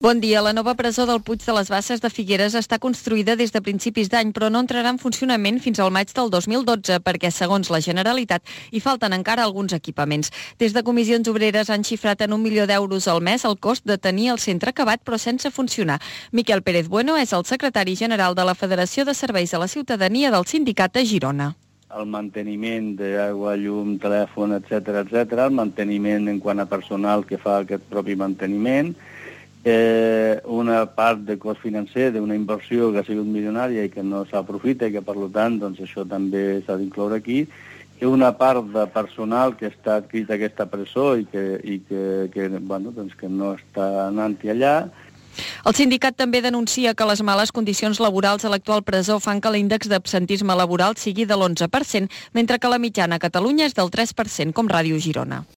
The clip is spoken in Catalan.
Bon dia. La nova presó del Puig de les Basses de Figueres està construïda des de principis d'any, però no entrarà en funcionament fins al maig del 2012 perquè, segons la Generalitat, hi falten encara alguns equipaments. Des de Comissions Obreres han xifrat en 1 milió d'euros al mes el cost de tenir el centre acabat però sense funcionar. Miquel Pérez Bueno és el secretari general de la Federació de Serveis a la Ciutadania del sindicat a Girona. El manteniment d'aigua, llum, telèfon, etc, el manteniment en quant a personal que fa aquest propi manteniment, una part de cost financer d'una inversió que ha sigut milionària i que no s'aprofita i que, per tant, doncs, això també s'ha d'incloure aquí, i una part de personal que està adscrit a aquesta presó i que no està anant-hi allà. El sindicat també denuncia que les males condicions laborals a l'actual presó fan que l'índex d'absentisme laboral sigui de l'11%, mentre que la mitjana a Catalunya és del 3%, com Ràdio Girona.